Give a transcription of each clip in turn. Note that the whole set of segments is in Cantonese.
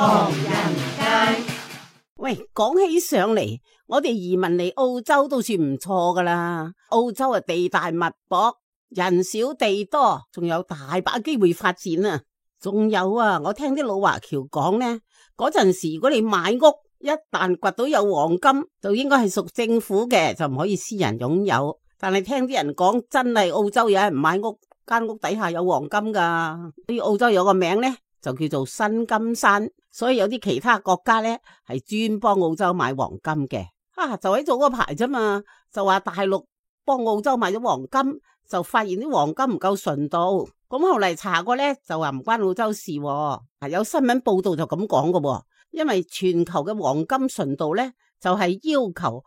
唐人街。喂，講起上嚟，我哋移民嚟澳洲都算唔錯噶啦。澳洲啊，地大物博，人少地多，仲有大把機會發展啊。仲有啊，我聽啲老華僑講呢，嗰陣時如果你買屋，一旦掘到有黃金，就應該係屬政府嘅，就唔可以私人擁有。但係聽啲人講，真係澳洲有人買屋，間屋底下有黃金噶。啲澳洲有個名呢，就叫做新金山，所以有啲其他國家呢係專幫澳洲買黃金嘅。就喺早嗰排啫嘛，就話大陸幫澳洲買咗黃金，就發現啲黃金唔夠純度。咁後嚟查過呢，就話唔關澳洲事喎。有新聞報道就咁講嘅喎，因為全球嘅黃金純度呢，就係要求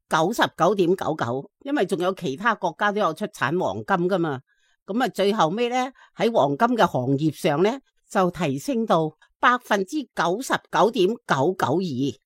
99.99%，因為仲有其他國家都有出產黃金噶嘛。咁最後尾呢，喺黃金嘅行業上呢，就提升到99.992%。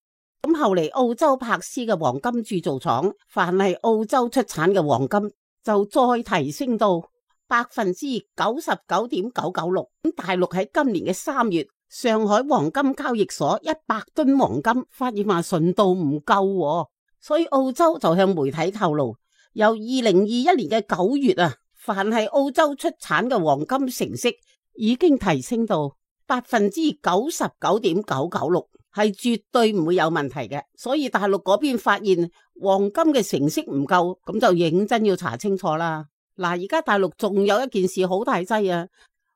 咁後嚟澳洲柏斯嘅黃金鑄造廠，凡係澳洲出產嘅黃金就再提升到99.996%。咁大陸喺今年嘅3月，上海黃金交易所100噸黃金發現話純度唔夠，所以澳洲就向媒體透露，由2021年嘅9月啊，凡係澳洲出產嘅黃金成色已經提升到99.996%，係絕對唔會有問題嘅。所以大陸嗰邊發現黃金嘅成色唔夠，咁就認真要查清楚啦。嗱，而家大陸仲有一件事好大劑啊，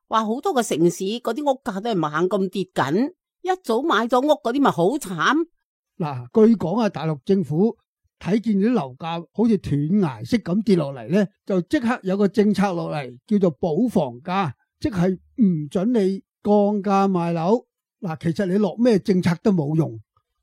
話好多個城市嗰啲屋價都係猛咁跌緊，一早買咗屋嗰啲咪好慘。嗱，據講大陸政府睇見啲樓價好似斷崖式咁跌落嚟呢，就即刻有個政策落嚟，叫做保房價，即係唔准你降價賣樓。嗱，其實你落咩政策都冇用，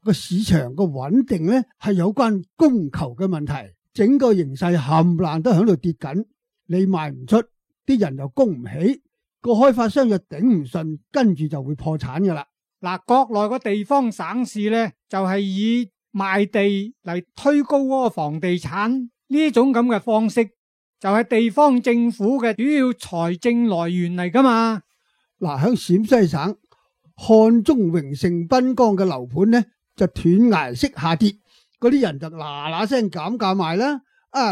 個市場個穩定呢係有關供求嘅問題，整個形勢冚唪唥都喺度跌緊，你賣唔出，啲人又供唔起，個開發商又頂唔順，跟住就會破產噶啦。嗱，國內個地方省市呢，就係以賣地嚟推高嗰個房地產呢種咁嘅方式，就係地方政府嘅主要財政來源嚟噶嘛。嗱，喺陝西省漢中榮盛濱江嘅樓盤呢，就斷崖式下跌，嗰啲人就嗱嗱聲減價賣啦。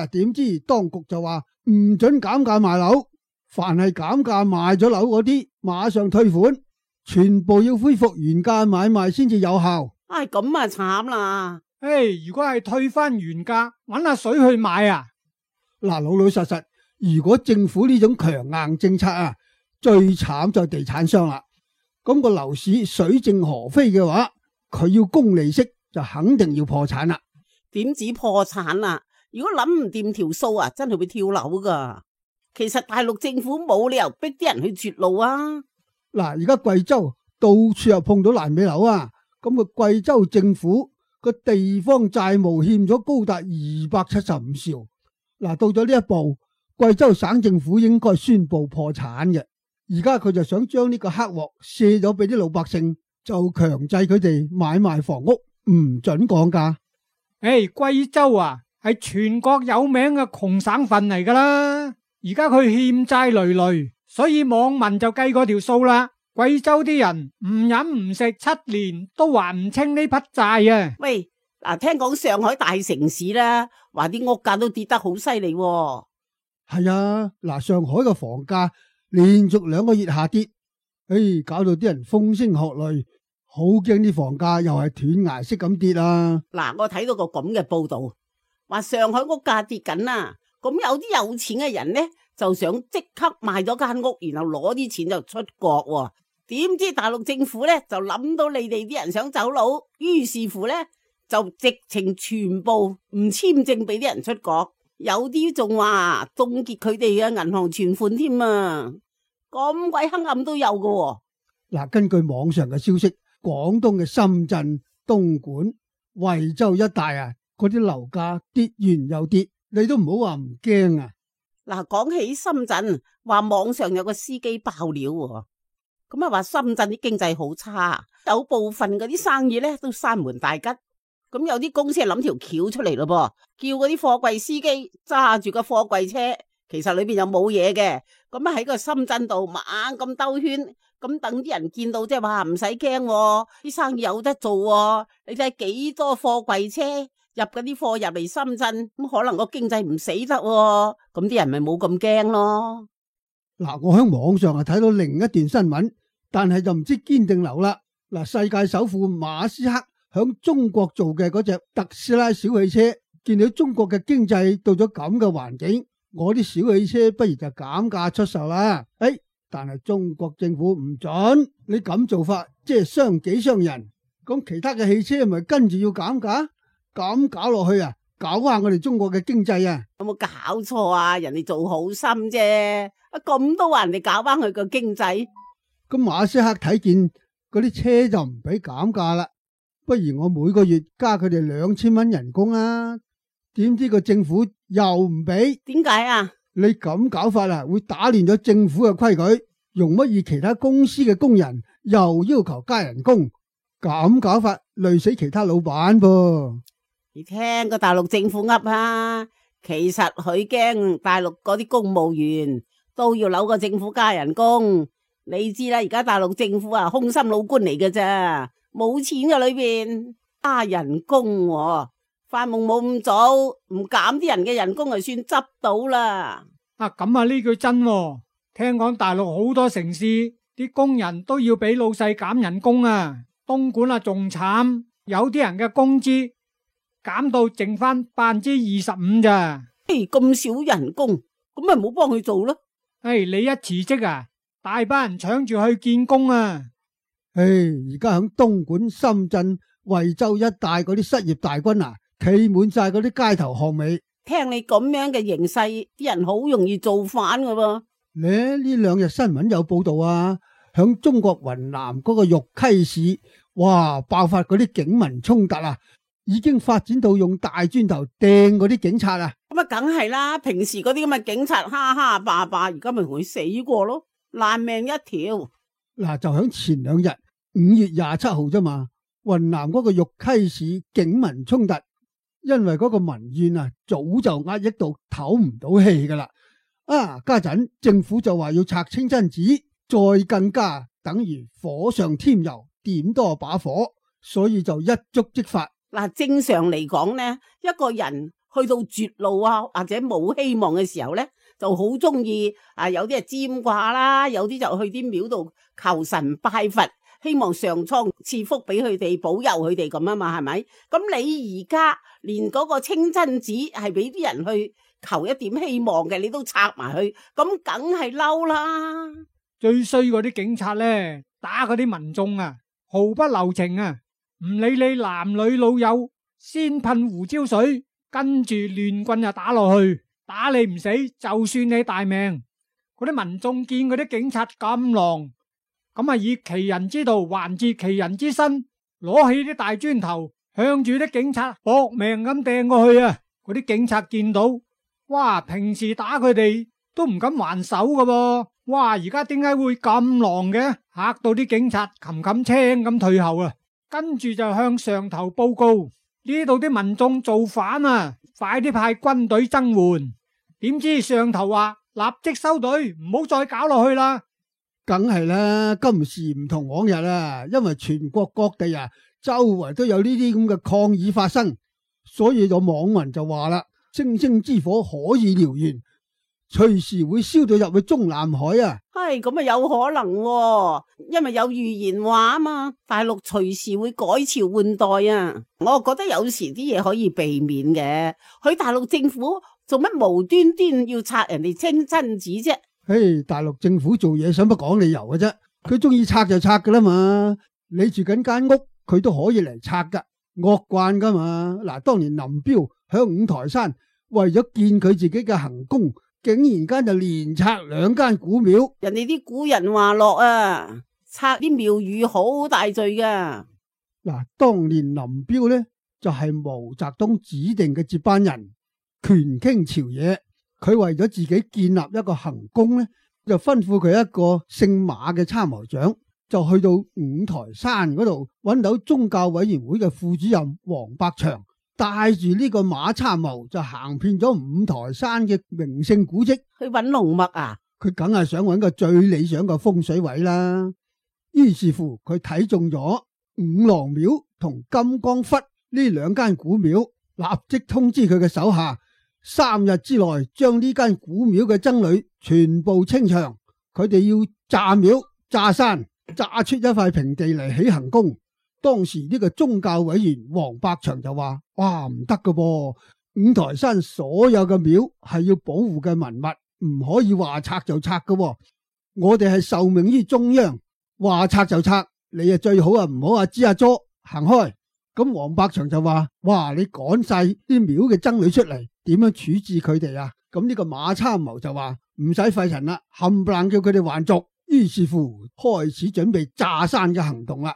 點知當局就話唔准減價賣樓，凡係減價賣咗樓嗰啲，馬上退款，全部要恢復原價買賣先至有效。咁啊慘啦！如果係退翻原價，搵下水去買啊！嗱，老老實實，如果政府呢種強硬政策啊，最慘就係地產商啦。咁個樓市水靜河飛嘅話，佢要供利息就肯定要破產啦。點止破產啊？如果諗唔掂條數啊，真係會跳樓噶。其實大陸政府冇理由逼啲人去絕路啊。嗱，而家貴州到處又碰到爛尾樓啊，咁個貴州政府個地方債務欠咗高達275兆。嗱，到咗呢一步，貴州省政府應該宣布破產嘅。而家佢就想將呢個黑鑊卸咗俾啲老百姓，就強制佢哋買賣房屋，唔准降價。貴州啊，係全國有名嘅窮省份嚟噶啦。而家佢欠債累累，所以網民就計過條數啦。貴州啲人唔飲唔食7年都還唔清呢筆債啊！喂，聽講上海大城市啦，話啲屋價都跌得好犀利。係啊，上海嘅房價連續2個月下跌，搞到啲人風聲鶴唳，好驚啲房價又係斷崖式咁跌啊！我睇到個咁嘅報道，話上海屋價跌緊啦，咁有啲有錢嘅人呢，就想即刻賣咗間屋，然後攞啲錢就出國。點知大陸政府呢，就諗到你哋啲人想走佬，於是乎呢，就直情全部唔簽證俾啲人出國，有啲仲話凍結佢哋嘅銀行存款添啊！咁鬼黑暗都有㗎。根據網上嘅消息，廣東嘅深圳、東莞、惠州一帶啊，嗰啲樓價跌完又跌，你都唔好話唔驚啊！講起深圳，話網上有個司機爆料，咁話深圳啲經濟好差，有部分嗰啲生意咧都閂門大吉。咁有啲公司係諗條橋出嚟咯噃，叫嗰啲貨櫃司機揸住個貨櫃車，其實裏邊又冇嘢嘅，咁喺個深圳度猛咁兜圈，咁等啲人見到即係話唔使驚，啲生意有得做喎。你睇幾多貨櫃車入嗰啲貨入嚟深圳，咁可能個經濟唔死得喎，咁啲人咪冇咁驚咯。嗱，我喺網上睇到另一段新聞，但係就唔知堅定流啦。嗱，世界首富馬斯克響中國做嘅嗰隻特斯拉小汽車，見到中國嘅經濟到咗咁嘅環境，我啲小汽車不如就減價出售啦。但係中國政府唔准，你咁做法即係傷己傷人，咁其他嘅汽車咪跟住要減價，咁搞落去啊，搞壞我哋中國嘅經濟啊！有冇搞錯啊？人哋做好心啫，咁都話人哋搞翻佢個經濟。咁馬斯克睇見嗰啲車就唔俾減價啦，不如我每個月加佢哋2000蚊人工啊！點知個政府又唔俾？點解啊？你咁搞法啊，會打亂咗政府嘅規矩，容乜易其他公司嘅工人又要求加人工？咁搞法累死其他老闆噃。你聽個大陸政府噏啊，其實佢驚大陸嗰啲公務員都要扭個政府加人工。你知啦，而家大陸政府啊，空心老官嚟嘅咋，冇錢嘅裏邊加人工喎，發夢冇咁早，唔減啲人嘅人工就算執到啦。咁啊呢句真喎，聽講大陸好多城市啲工人都要俾老細減人工啊，東莞啊仲慘，有啲人嘅工資減到剩翻25%咋。咁少人工，咁咪唔好幫佢做咯。你一辭職啊，大班人搶住去見工啊！而家響東莞、深圳、惠州一帶嗰啲失業大軍啊，企滿晒嗰啲街頭巷尾。聽你咁樣嘅形勢，啲人好容易造反噶噃。呢兩日新聞有報道啊，響中國雲南嗰個玉溪市，哇，爆發嗰啲警民衝突啊，已經發展到用大磚頭掟嗰啲警察啊。咁啊，梗係啦，平時嗰啲咁嘅警察哈哈霸霸，而家咪同佢死過咯，爛命一條。嗱，就響前2日5月27號啫嘛，雲南嗰個玉溪市警民衝突，因為嗰個民怨啊，早就壓抑到唞唔到氣噶啦。家陣政府就話要拆清真寺，再更加等於火上添油，點多把火，所以就一觸即發。嗱，正常嚟講呢，一個人去到絕路啊，或者冇希望嘅時候呢，就好中意有啲係占卦啦，有啲就去啲廟度求神拜佛，希望上蒼賜福俾佢哋，保佑佢哋咁啊嘛，係咪？咁你而家連嗰個清真寺係俾啲人去求一點希望嘅，你都拆埋去，咁梗係嬲啦！最衰嗰啲警察呢，打嗰啲民眾啊，毫不留情啊，唔理你男女老幼，先噴胡椒水，跟住亂棍就打落去，打你唔死，就算你大命。嗰啲民眾見嗰啲警察咁狼，咁啊以其人之道還治其人之身，攞起啲大磚頭向住啲警察搏命咁掟過去啊！嗰啲警察見到，哇！平時打佢哋都唔敢還手噶噃，哇！而家點解會咁狼嘅？嚇到啲警察冚冚青咁退後啊！跟住就向上頭報告，呢度啲民眾造反啊！快啲派軍隊增援。點知上頭話立即收隊，唔好再搞落去啦。梗係啦，今時唔同往日啊，因為全國各地啊，周圍都有呢啲咁嘅抗議發生，所以有網民就話啦：星星之火可以燎原，隨時會燒到入去中南海啊！係咁啊，有可能喎，因為有預言話啊嘛，大陸隨時會改朝換代啊！我覺得有時啲嘢可以避免嘅，佢大陸政府做乜無端端要拆人哋清真寺啫？大陸政府做嘢想乜講理由嘅啫？佢中意拆就拆噶啦嘛，你住緊間屋，佢都可以嚟拆噶，惡慣噶嘛。嗱，當年林彪響五台山為咗見佢自己嘅行宮，竟然間就連拆2間古廟。人哋啲古人話落啊，拆啲廟宇好大罪噶。嗱，當年林彪呢就係毛澤東指定嘅接班人，權傾朝野。佢為咗自己建立一個行宮呢，就吩咐佢一個姓馬嘅參謀長，就去到五台山嗰度揾到宗教委員會嘅副主任黃百祥，帶住呢個馬參謀就行遍咗五台山嘅名勝古蹟，去揾龍脈啊！佢梗係想揾個最理想嘅風水位啦。於是乎佢睇中咗五郎廟同金剛窟呢兩間古廟，立即通知佢嘅手下，3日之內將呢間古廟嘅僧侶全部清場。佢哋要炸廟、炸山，炸出一塊平地嚟起行宮。當時呢個宗教委員王百祥就話：哇，唔得噶噃！五台山所有嘅廟係要保護嘅文物，唔可以話拆就拆噶。我哋係受命於中央，話拆就拆，你啊最好啊唔好話吱阿咗行開。咁王百祥就話：哇，你趕晒啲廟嘅僧侶出嚟，點樣處置佢哋啊？咁呢個馬參謀就話：唔使費神啦，冚唪唥叫佢哋還俗。於是乎開始準備炸山嘅行動啦。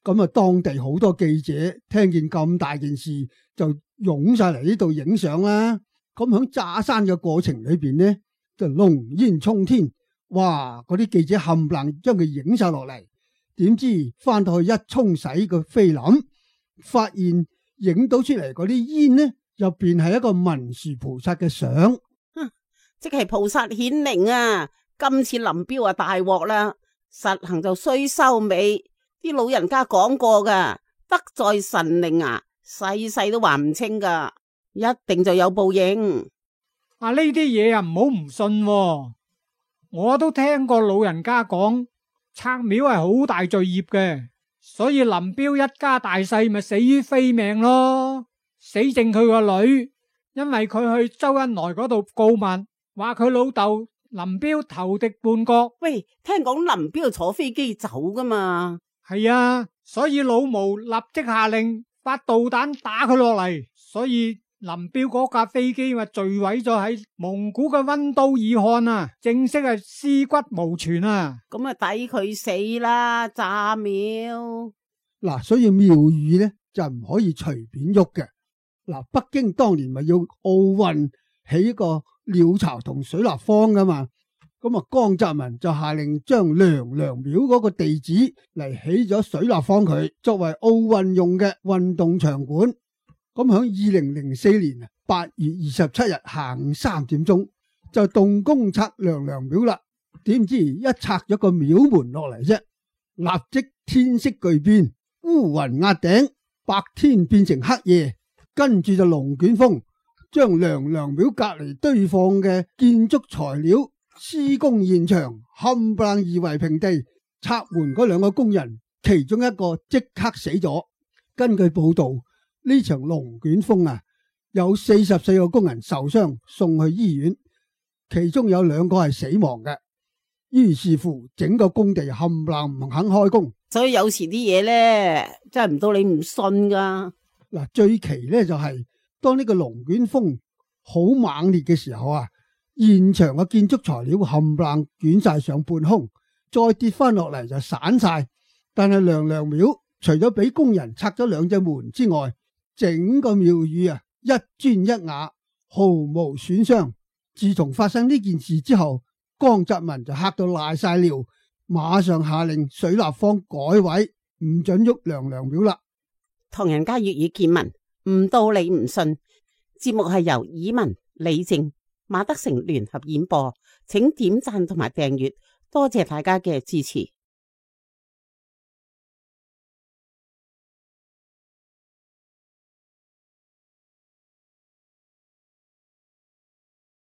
咁啊，當地好多記者聽見咁大件事，就湧晒嚟呢度影相啦。咁響炸山嘅過程裏邊呢，就濃煙沖天，哇！嗰啲記者冚唪唥將佢影晒落嚟。點知翻到去一沖洗個菲林，發現影到出嚟嗰啲煙呢，入邊係一個文殊菩薩嘅相，即係菩薩顯靈啊！今次林彪啊大鑊啦，實行就須收尾。啲老人家講過噶，德在神靈啊，世世都還唔清噶，一定就有報應。呢啲嘢啊唔好唔信喎，我都聽過老人家講，拆廟係好大罪孽嘅，所以林彪一家大細咪死於非命咯，死剩佢個女，因為佢去周恩來嗰度告密，話佢老豆林彪投敵叛國。喂，聽講林彪坐飛機走噶嘛？係啊，所以老毛立即下令發導彈打佢落嚟，所以林彪嗰架飛機咪墜毀咗喺蒙古嘅溫都爾汗啊，正式係屍骨無存啊！咁啊抵佢死啦，炸廟。嗱，所以廟宇咧就唔可以隨便喐嘅。嗱，北京當年咪要奧運起一個鳥巢同水立方噶嘛。咁啊，江澤民就下令將娘娘廟嗰個地址嚟起咗水立方佢，作為奧運用嘅運動場館。咁響2004年8月27日下午3點鐘就動工拆娘娘廟啦。點知一拆咗個廟門落嚟啫，立即天色巨變，烏雲壓頂，白天變成黑夜，跟住就龍捲風將娘娘廟隔籬堆放嘅建築材料、施工現場冚唪唥夷為平地。拆門嗰2個工人，其中一個即刻死咗。根據報道，呢場龍捲風啊，有44個工人受傷送去醫院，其中有2個係死亡嘅。於是乎，整個工地冚唪唥唔肯開工。所以有時啲嘢咧，真係唔到你唔信噶。嗱，最奇咧就係當呢個龍捲風好猛烈嘅時候啊，現場嘅建築材料冚唪唥捲晒上半空，再跌翻落嚟就散晒。但係娘娘廟除咗俾工人拆咗2隻門之外，整個廟宇啊一磚一瓦毫無損傷。自從發生呢件事之後，江澤民就嚇到賴晒尿，馬上下令水立方改位，唔准喐娘娘廟啦。唐人街粵語見聞，唔到你唔信。節目係由以文、李靜、馬德成聯合演播，請點讚同埋訂閱，多謝大家嘅支持。